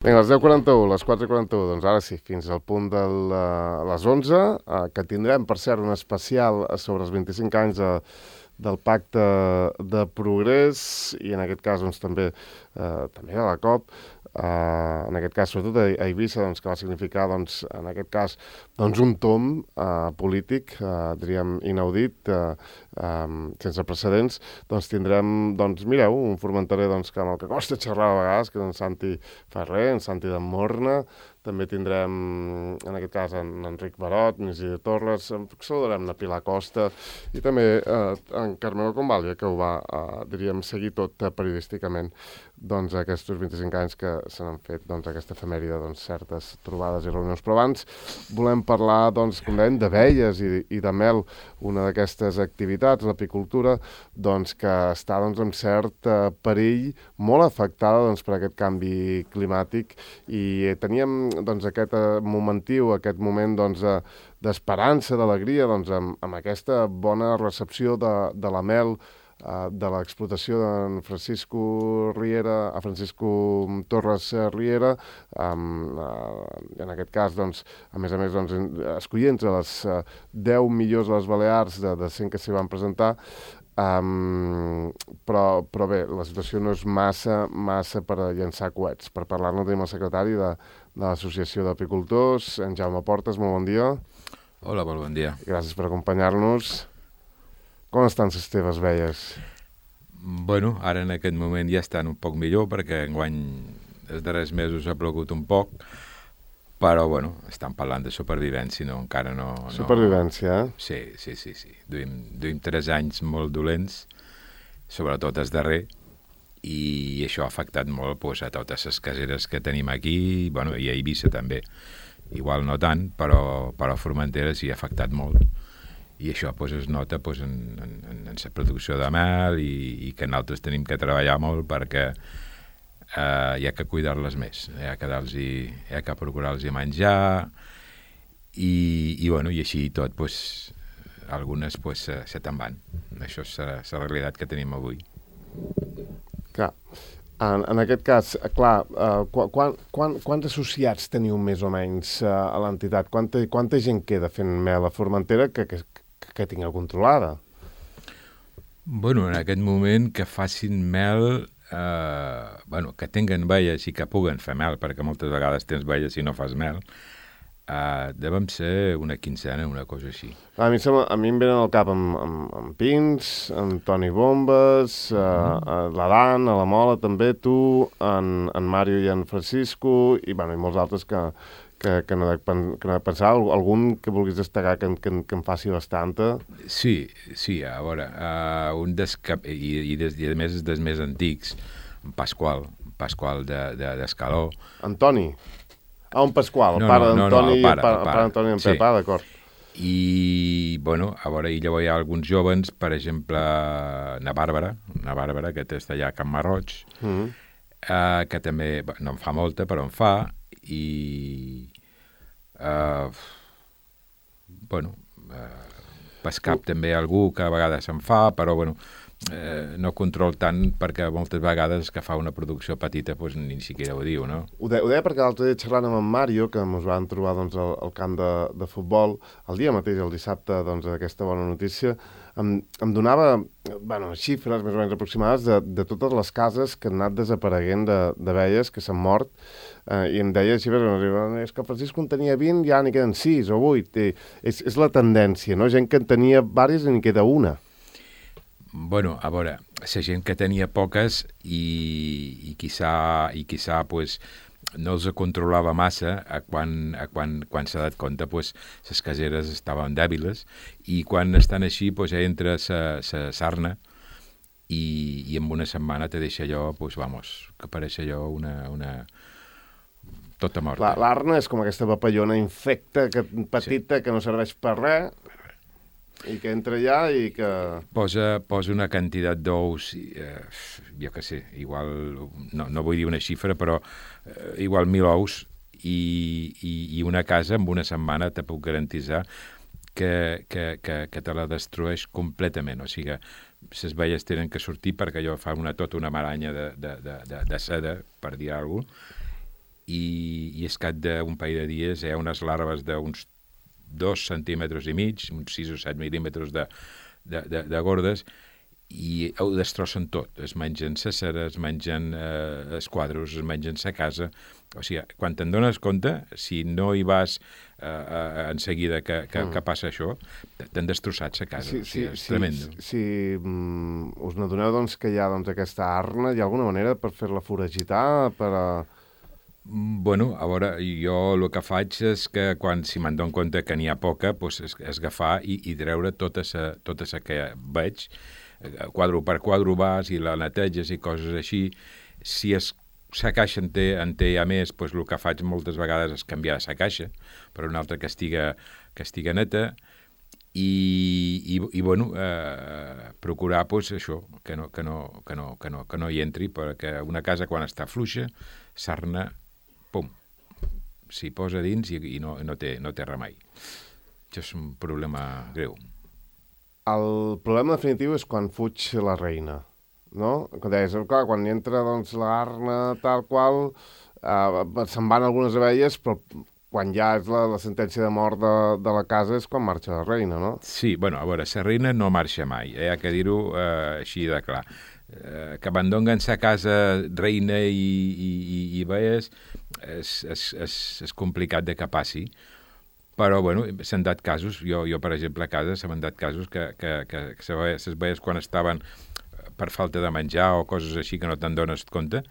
Vinga, les 10:41, les 4:41, doncs ara sí, fins al punt de les 11, que tindrem, per cert, un especial sobre els 25 anys del Pacte de Progrés i en aquest cas doncs, també de la COP, en aquest cas sobretot a Eivissa, doncs, que va significar doncs, en aquest cas doncs, un tomb polític, diríem inaudit, sense precedents. Doncs tindrem, doncs mireu, un formenterer doncs, que amb el que costa xerrar a vegades, que és en Santi Ferrer, en Santi de Morna. També tindrem, en aquest cas, en Enric Barot, en Isidre Torres, saludarem la Pilar Costa i també en Carmelo Convalia, que ho va, diríem, seguir tot periodísticament doncs, aquests 25 anys que se n'han fet doncs, aquesta efemèride, doncs, certes trobades i reunions. Però abans volem parlar, doncs, com dèiem, d'abelles i de mel, una d'aquestes activitats, l'apicultura, doncs, que està doncs, en cert perill, molt afectada doncs, per aquest canvi climàtic, i teníem doncs, aquest momentiu, aquest moment doncs, d'esperança, d'alegria, doncs, amb aquesta bona recepció de la mel, de l'explotació d'en Francisco Torres Riera, en aquest cas, doncs, a més, doncs, escollint entre les 10 millors de les Balears de 100 que s'hi van presentar, però bé, la situació no és massa per llançar coets. Per parlar-ne tenim el secretari de l'Associació d'Apicultors, en Jaume Portes. Molt bon dia. Hola, molt bon dia. Gràcies per acompanyar-nos. Com estan les teves abelles? Bueno, ara en aquest moment ja estan un poc millor perquè enguany els darrers mesos ha plogut un poc, però bueno, estan parlant de supervivència, no, encara no... Supervivència, eh? Sí. Duim 3 anys molt dolents, sobretot el darrer, i això ha afectat molt pues, a totes les caseres que tenim aquí, bueno, i a Eivissa també. Igual no tant, però a Formentera sí ha afectat molt. I això pues, es nota pues, en la producció de mel i que nosaltres tenim que treballar molt perquè hi ha que cuidar-les més, hi ha que procurar-los menjar i així tot, pues, algunes pues, se te'n van. Això és la realitat que tenim avui. Clar, en aquest cas, clar, quants associats teniu més o menys a l'entitat? Quanta gent queda fent mel a Formentera que tingueu controlada? Bueno, en aquest moment que facin mel, que tinguen velles i que puguen fer mel, perquè moltes vegades tens velles i no fas mel, devem ser una quincena, una cosa així. A mi em venen al cap amb Pins, amb Toni Bombes, l'Adan, a la Mola també, tu, en Mario i en Francisco, i molts altres que no he de pensar, algun que vulguis destacar que em faci bastanta. Sí, a veure, i a més dels més antics, en Pasqual d'Escaló. Antoni? Un Pasqual, el pare d'Antoni, el pare d'Antoni en Pep, d'acord. I, bueno, a veure, llavors hi ha alguns jovens, per exemple, na Bàrbara, que està allà a Can Marroig, que també, no en fa molta, però en fa, i Pescap també algú que a vegades se'n fa, però no control tant perquè moltes vegades que fa una producció petita doncs ni siquiera ho diu, no? Ho deia perquè l'altre dia xerrant amb en Mario, que ens van trobar doncs, al camp de futbol, el dia mateix, el dissabte, doncs, d'aquesta bona notícia, em donava xifres més o menys aproximades de totes les cases que han anat desapareguent d'abelles, que s'han mort, i em deia xifres, és que Francisco en tenia 20, ja n'hi queden 6 o 8. És la tendència, no? Gent que en tenia diverses i n'hi queda una. Bueno, a veure, la gent que tenia poques i quizà pues, no els controlava massa quan s'ha dat compte pues, les caseres estaven dèbiles i quan estan així pues, entra la sarna i en una setmana te deixa allò, pues, que pareix allò una tota morta. L'arna és com aquesta papallona infecta petita que no serveix per res, i que entra allà i que... Posa una quantitat d'ous, jo què sé, igual, no vull dir una xifra, però igual 1.000 ous i una casa en una setmana te puc garantitzar que te la destrueix completament. O sigui, les velles tenen que sortir perquè allò fa tota una maranya de seda, per dir alguna cosa, i és cap d'un parell de dies hi ha unes larves d'uns 2 centímetres i mig, uns 6 o 7 mil·límetres de gordes, i ho destrossen tot. Es mengen cèsara, es mengen esquadros, es mengen sa casa. O sigui, quan te'n dones compte, si no hi vas en seguida que passa això, t'han destrossat sa casa. O sigui, és tremendo. Si us n'adoneu doncs, que hi ha aquesta arna, hi ha alguna manera per fer-la foragitar, per a... Bueno, a veure, jo el que faig és que si me'n dono compte que n'hi ha poca, doncs és agafar i treure tota sa que veig, quadre per quadre vas i la neteges i coses així. Si sa caixa en té a més, doncs el que faig moltes vegades és canviar sa caixa per una altra que estiga neta i bueno, procurar doncs, això, que no hi entri, perquè una casa quan està fluixa, sarna, pum, s'hi posa dins i no té remei. Això és un problema greu. El problema definitiu és quan fuig la reina, no? Com deies, clar, quan hi entra doncs, l'arna tal qual, se'n van algunes abelles, però quan ja és la sentència de mort de la casa és quan marxa la reina, no? Sí, bueno, a veure, la reina no marxa mai, hi ha que dir-ho així de clar. Que abandonen sa casa reina i veies és complicat de que passi, però bueno, s'han dat casos, jo per exemple a casa s'han dat casos que les veies quan estaven per falta de menjar o coses així que no te'n dones compte,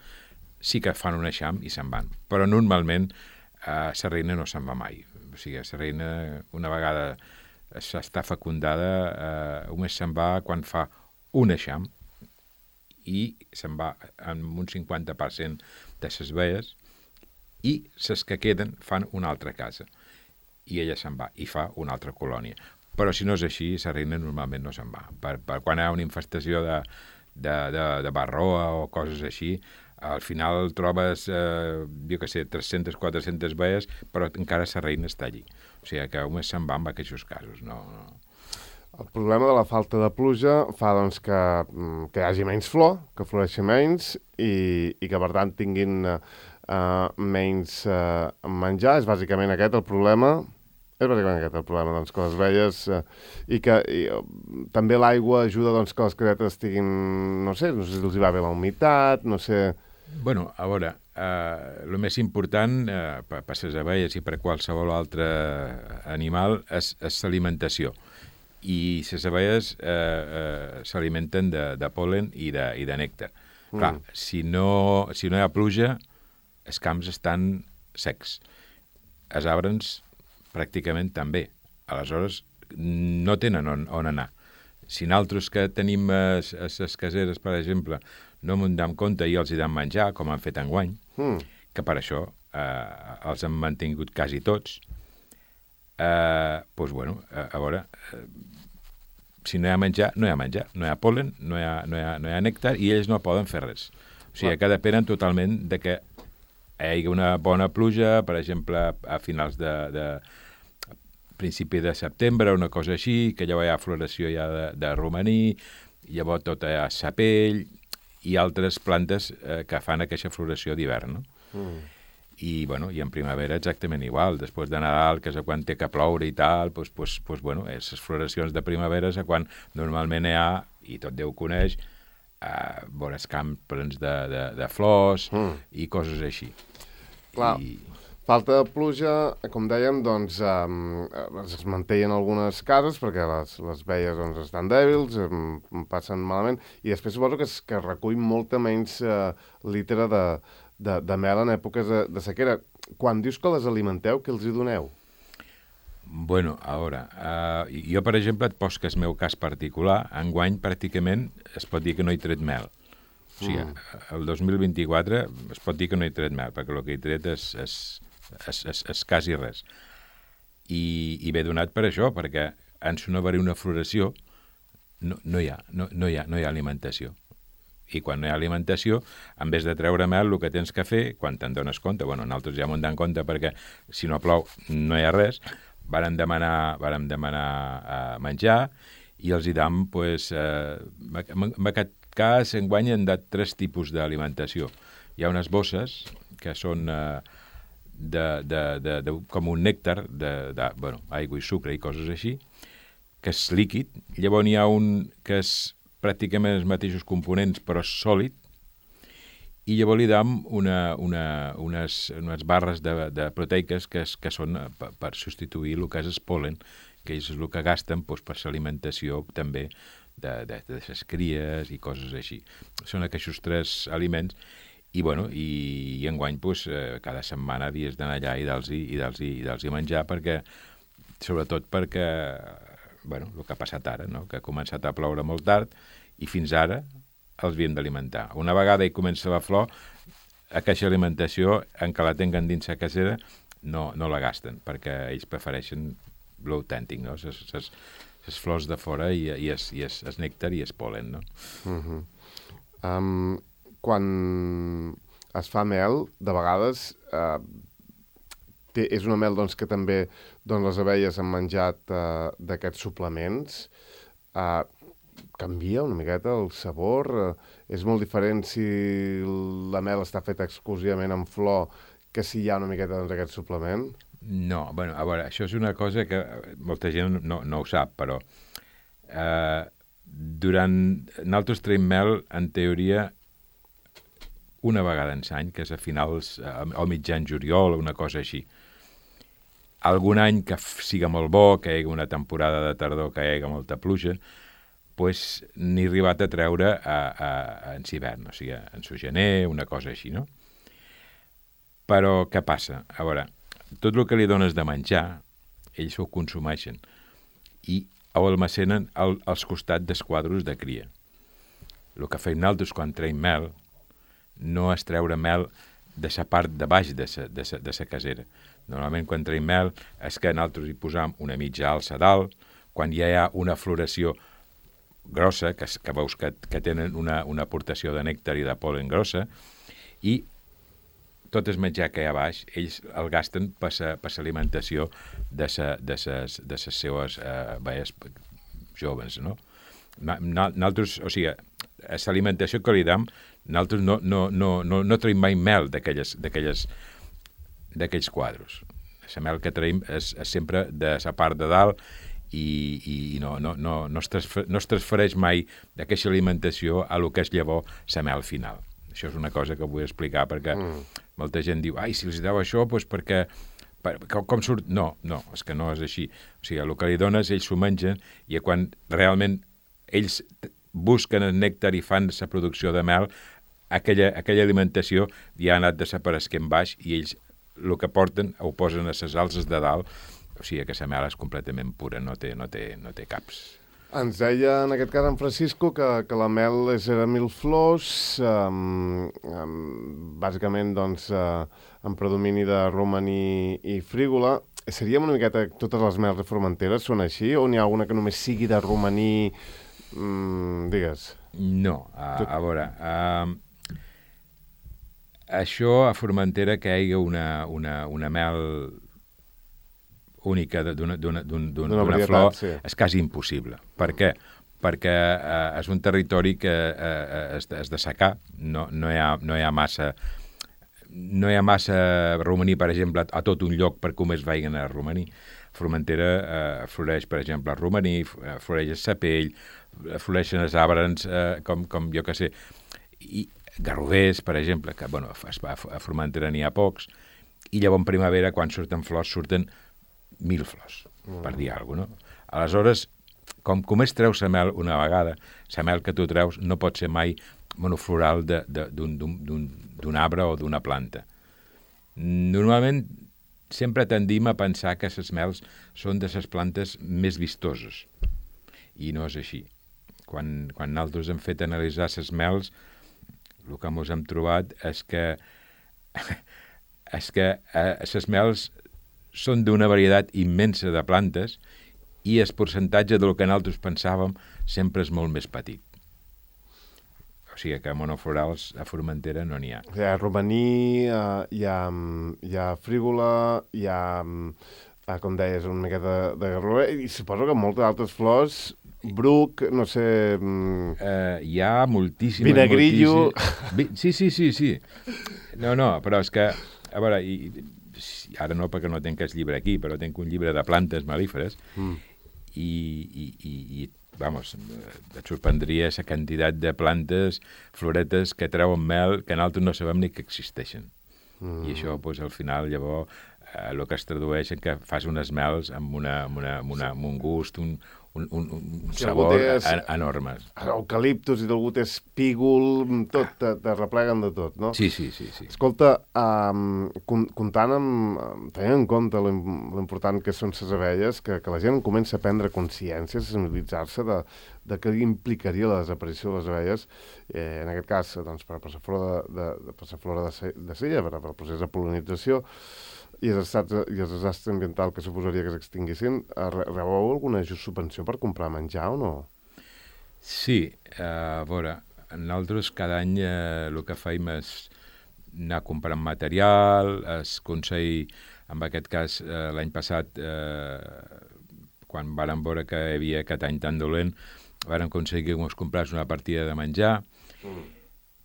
sí que fan un eixam i se'n van, però normalment la reina no se'n va mai. O sigui, la reina una vegada està fecundada només se'n va quan fa un eixam i se'n va amb un 50% de les veies i les que queden fan una altra casa i ella se'n va i fa una altra colònia. Però si no és així, la reina normalment no se'n va. Per quan hi ha una infestació de barroa o coses així, al final trobes, jo què sé, 300, 400 veies, però encara la reina està allí. O sigui que només se'n va en aquests casos, no. El problema de la falta de pluja fa doncs, que hi hagi menys flor, que floreixi menys i que per tant tinguin menys menjar. És bàsicament aquest el problema. Doncs, que les abelles també l'aigua ajuda doncs, que les creates estiguin, no sé si els hi va bé la humitat, no sé... Bueno, a veure, el més important per les abelles i per qualsevol altre animal és l'alimentació. I les abelles s'alimenten de pol·len i de nèctar. Clar, si no hi ha pluja, els camps estan secs. Els arbres pràcticament també. Aleshores, no tenen on anar. Si nosaltres que tenim les caseres, per exemple, no m'ho dam compte i els hi dam menjar, com han fet enguany, que per això els han mantingut quasi tots, doncs, bueno, a veure, si no hi ha menjar, no hi ha menjar. No hi ha pol·len, no hi ha nèctar i ells no poden fer res. O sigui, que depenen totalment de que hi hagi una bona pluja, per exemple, a finals de principi de setembre, una cosa així, que llavors hi ha floració ja de romaní, llavors tota hi ha sapell i altres plantes que fan aquesta floració d'hivern, no? I, bueno, i en primavera exactament igual. Després de Nadal, que és quan té que ploure i tal, doncs bueno, les floracions de primavera és quan normalment hi ha, i tot Déu coneix, vores camps plens de flors i coses així. Clar, falta de pluja, com dèiem, doncs es mantenen algunes cases perquè les veies doncs, estan dèbils, passen malament, i després suposo que es recull molta menys litre de mel en èpoques de sequera. Quan dius que les alimenteu, què els hi doneu? Bueno, a veure, jo, per exemple, et poso que el meu cas particular, enguany pràcticament es pot dir que no he tret mel. O sigui, el 2024 es pot dir que no he tret mel, perquè el que he tret és quasi res. I ve donat per això, perquè en no haver una floració no hi ha alimentació. I quan no hi ha alimentació, en vez de treure mel, el que tens que fer, quan te'n dones compte, bueno, nosaltres ja m'ho en donem compte perquè si no plou no hi ha res, vàrem demanar menjar i els hi dam, doncs, en aquest cas, enguany han dat 3 tipus d'alimentació. Hi ha unes bosses que són com un nèctar aigua i sucre i coses així, que és líquid. Llavors n'hi ha un que és pràcticament els mateixos components però és sòlid, i llavors li dam unes barres de proteiques que són per substituir el que és el polen, que és el que gasten per l'alimentació també de les cries i coses així. Són aquests 3 aliments i enguany cada setmana havies d'anar allà i dels-hi menjar, sobretot perquè el que ha passat ara, no? Que ha començat a ploure molt tard i fins ara els havíem d'alimentar. Una vegada hi comença la flor, aquesta alimentació, en què la tenen dins la casera, no la gasten, perquè ells prefereixen l'autèntic, no? Les flors de fora i el nèctar i el polen, no? Quan es fa mel, de vegades és una mel que també les abelles han menjat d'aquests suplements. Canvia una miqueta el sabor? És molt diferent si la mel està feta exclusivament en flor que si hi ha una miqueta d'aquest suplement? No, a veure, això és una cosa que molta gent no ho sap, però nosaltres traiem mel, en teoria, una vegada en l'any, que és a finals, o mitjan juliol, una cosa així. Algun any que siga molt bo, que hi hagi una temporada de tardor, que hi hagi molta pluja, n'he arribat a treure en hivern, o sigui, en gener, una cosa així, no? Però què passa? A veure, tot el que li dones de menjar, ells ho consumeixen i ho almacenen als costats dels quadros de cria. El que fem nosaltres quan traiem mel no és treure mel de la part de baix de la casera. Normalment, quan traiem mel, és que nosaltres hi posam una mitja alça dalt, quan ja hi ha una floració grossa, que veus que tenen una aportació de nèctar i de polen grossa, i tot el menjar que hi ha a baix, ells el gasten per l'alimentació de les seues abelles joves, no? Nosaltres, o sigui, l'alimentació que li dam, nosaltres no traiem mai mel d'aquells quadros. La mel que traiem és sempre de la part de dalt i no es transfereix mai d'aquesta alimentació a lo que és llavors la mel final. Això és una cosa que vull explicar perquè molta gent diu, si els deu això, doncs perquè com surt? No, és que no és així. O sigui, el que li dones, ells s'ho mengen i quan realment ells busquen el nèctar i fan la producció de mel, aquella alimentació ja ha anat desapareixent baix i ells el que porten ho posen a les alces de dalt, o sigui que la mel és completament pura, no té caps. Ens deia, en aquest cas, en Francisco, que la mel era 1000 flors, bàsicament, doncs, en predomini de romaní i frígola. Seria una miqueta, totes les mels de Formentera són així, o n'hi ha alguna que només sigui de romaní, digues? No, a veure, això a Formentera que hi hagi una mel única d'una flor és quasi impossible. Per què? Perquè és un territori que és de secà, no hi ha massa romaní, per exemple, a tot un lloc per com es vagin a romaní. Formentera floreix, per exemple, el romaní, floreix el sapell, floreixen els arbres, com jo que sé, i garrovers, per exemple, que a Formentera n'hi ha pocs, i llavors en primavera, quan surten flors, surten 1000 flors, per dir alguna cosa, no? Aleshores, com es treu la mel una vegada, la mel que tu treus no pot ser mai monofloral d'un arbre o d'una planta. Normalment, sempre tendim a pensar que les mels són de les plantes més vistoses, i no és així. Quan nosaltres hem fet analitzar les mels, el que ens hem trobat és que les mels són d'una varietat immensa de plantes i el percentatge del que nosaltres pensàvem sempre és molt més petit. O sigui que monoflorals a Formentera no n'hi ha. Hi ha romaní, hi ha frígola, hi ha, com deies, una miqueta de garrover, i suposo que moltes altres flors, bruc, no sé... hi ha moltíssimes... Vinagrillo... Sí. No, però és que, a veure, ara no perquè no tinc el llibre aquí, però tinc un llibre de plantes melíferes i vamos, et sorprendria la quantitat de plantes, floretes que treuen mel que nosaltres no sabem ni que existeixen. I això, pues, al final, llavors, el que es tradueix en que fas unes mels amb un gust, un sabor enorme. Eucaliptus i algú té espígol, tot, te repleguen de tot, no? Sí. Escolta, comptant tenint en compte l'important que són les abelles, que la gent comença a prendre consciència, a sensibilitzar-se de què implicaria la desaparició de les abelles, en aquest cas, doncs, per la flora de Sella, per al procés de pol·linització, i els desastres ambientals que suposaria que s'extinguissin, rebeu alguna subvenció per comprar menjar o no? Sí, a veure, nosaltres cada any el que fem és anar comprant material, el Consell, en aquest cas l'any passat, quan vàrem veure que hi havia aquest any tan dolent, vàrem aconseguir que ens comprés una partida de menjar,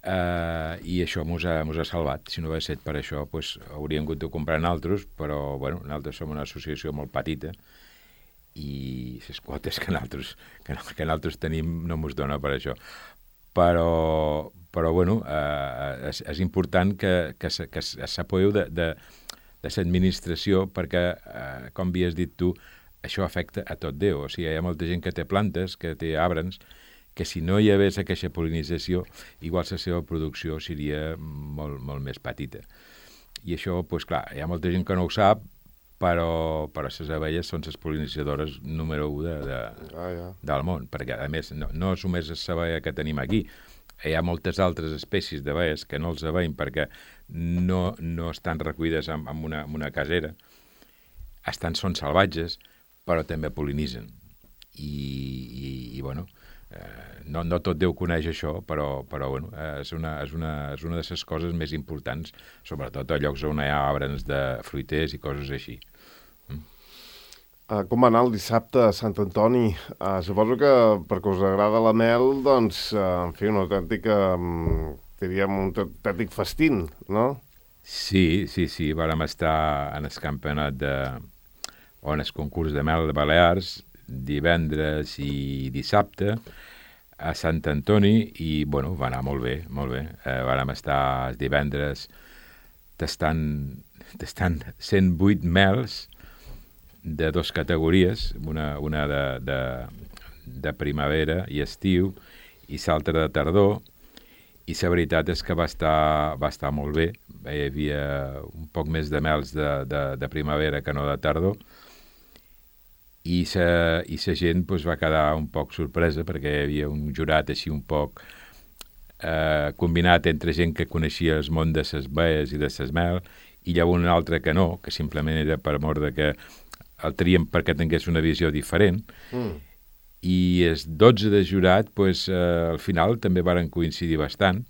i això mos ha salvat. Si no hagués estat per això, pues, hauríem hagut de comprar nosaltres, però bueno, nosaltres som una associació molt petita i les quotes que nosaltres tenim no mos dona per això. Però bueno, és important que s'apoyeu de l'administració perquè, com havies dit tu, això afecta a tot Déu. O sigui, hi ha molta gent que té plantes, que té arbres, que si no hi hagués aquesta pol·linització, igual la seva producció seria molt, molt més petita. I això, doncs clar, hi ha molta gent que no ho sap, però les abelles són les pol·linitzadores número 1 del món, perquè, a més, no és només l'abella que tenim aquí, hi ha moltes altres espècies d'abelles que no els veiem perquè no estan recollides en una casera, són salvatges, però també pol·linitzen. I bueno, no tot Déu coneix això, però bueno, és una de les coses més importants, sobretot a llocs on hi ha arbres de fruiters i coses així. Com va anar el dissabte a Sant Antoni? Suposo que perquè us agrada la mel, doncs, en fi, una autèntica, diríem, un autèntic festín, no? Sí, vàrem estar en el campionat on el concurs de mel de Balears, divendres i dissabte a Sant Antoni i, bueno, va anar molt bé, molt bé. Vàrem estar els divendres tastant 108 mels de 2 categories, una de primavera i estiu i l'altra de tardor, i la veritat és que va estar molt bé. Hi havia un poc més de mels de primavera que no de tardor, i la gent pues, va quedar un poc sorpresa perquè hi havia un jurat així un poc combinat entre gent que coneixia el món de les baies i de les mel i llavors un altre que no, que simplement era per mort de que el trien perquè tingués una visió diferent. I els 12 de jurat pues, al final també varen coincidir bastant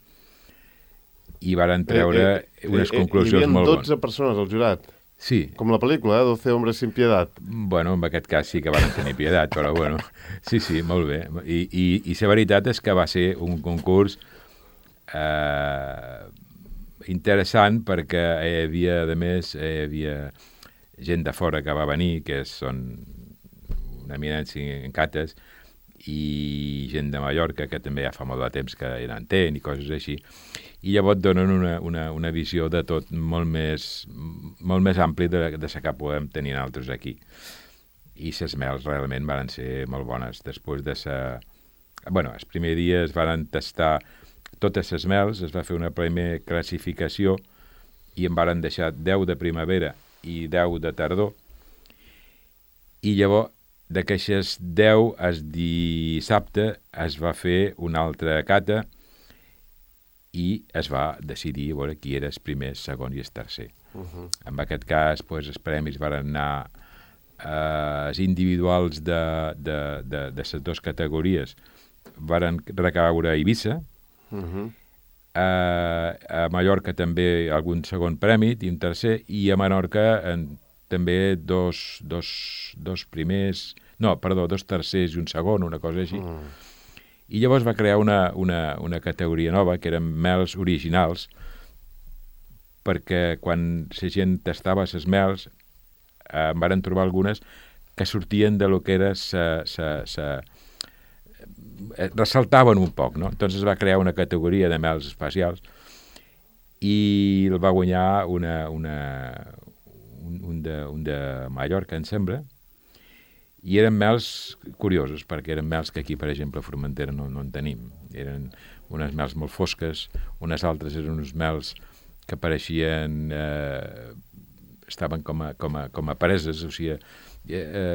i varen treure unes conclusions molt bones. Hi havia 12 persones al jurat? Sí. Com la pel·lícula, 12 hombres sin piedad. Bueno, en aquest cas sí que van tenir piedat, però bueno, sí, molt bé. I la veritat és que va ser un concurs interessant perquè hi havia, a més, gent de fora que va venir, que són una eminència en cates, i gent de Mallorca, que també ja fa molt de temps que hi entén i coses així. I llavors donen una visió de tot molt més ampli de la que podem tenir nosaltres aquí. I les mels realment van ser molt bones. Després de els primers dies van tastar totes les mels, es va fer una primera classificació i en van deixar 10 de primavera i 10 de tardor. I llavors, d'aquestes 10, el dissabte es va fer una altra cata i es va decidir a veure qui era el primer, el segon i el tercer. En aquest cas, pues, els premis van anar els individuals de les 2 categories van recaure a Eivissa, a Mallorca també algun segon premi i un tercer, i a Menorca també dos tercers i un segon, una cosa així. I llavors va crear una categoria nova, que eren mels originals, perquè quan la gent tastava les mels en varen trobar algunes que sortien de lo que era ressaltaven un poc, no? Entonces es va crear una categoria de mels especials i el va guanyar un de Mallorca, em sembla, i eren mels curiosos, perquè eren mels que aquí, per exemple, a Formentera no en tenim. Eren unes mels molt fosques, unes altres eren uns mels que pareixien... estaven com a preses, o sigui,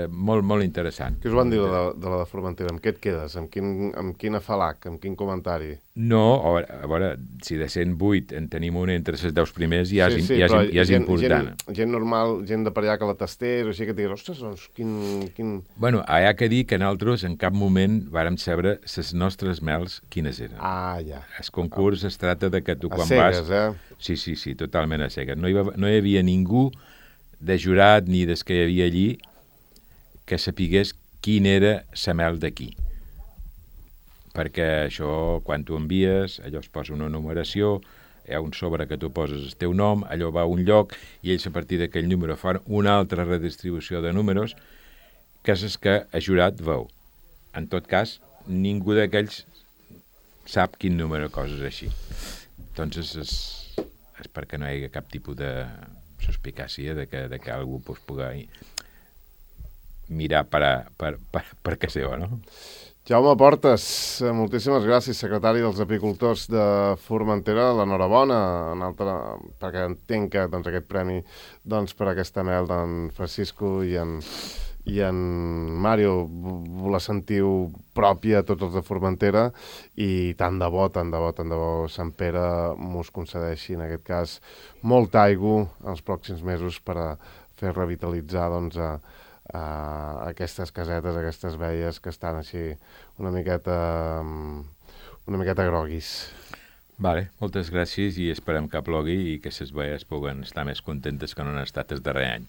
molt interessant. Què us van dir de la de Formentera? Amb què et quedes? Amb quin afalac? Amb quin comentari? No, a veure, si de 108 en tenim un entre els 10 primers, ja és important. Gent normal, gent de per allà que la tastés, o sigui que digues, ostres, doncs, quin... Bueno, hi ha que dir que nosaltres en cap moment vàrem saber les nostres mels quines eren. Ah, ja. El concurs es tracta de que tu quan cegues, vas... Sí, totalment a cegues. No hi havia ningú de jurat ni des que hi havia allí que sapigués quin era la mel d'aquí. Perquè això, quan tu envies, allò es posa una numeració, hi ha un sobre que tu poses el teu nom, allò va a un lloc, i ells a partir d'aquell número fan una altra redistribució de números, que és el que el jurat veu. En tot cas, ningú d'aquells sap quin número, coses així. Doncs és perquè no hi hagi cap tipus de suspicàcia de que algú pugui mirar per què seva, no? Jaume Portes, moltíssimes gràcies, secretari dels apicultors de Formentera. L'enhorabona, perquè entenc que aquest premi per aquesta mel d'en Francisco i en Mario la sentiu pròpia a tots els de Formentera i tant de bo Sant Pere mos concedeixi, en aquest cas, molta aigua els pròxims mesos per a fer revitalitzar aquestes casetes, aquestes veies que estan així una miqueta groguis. Vale, moltes gràcies i esperem que plogui i que les veies puguen estar més contentes que no han estat el darrer any.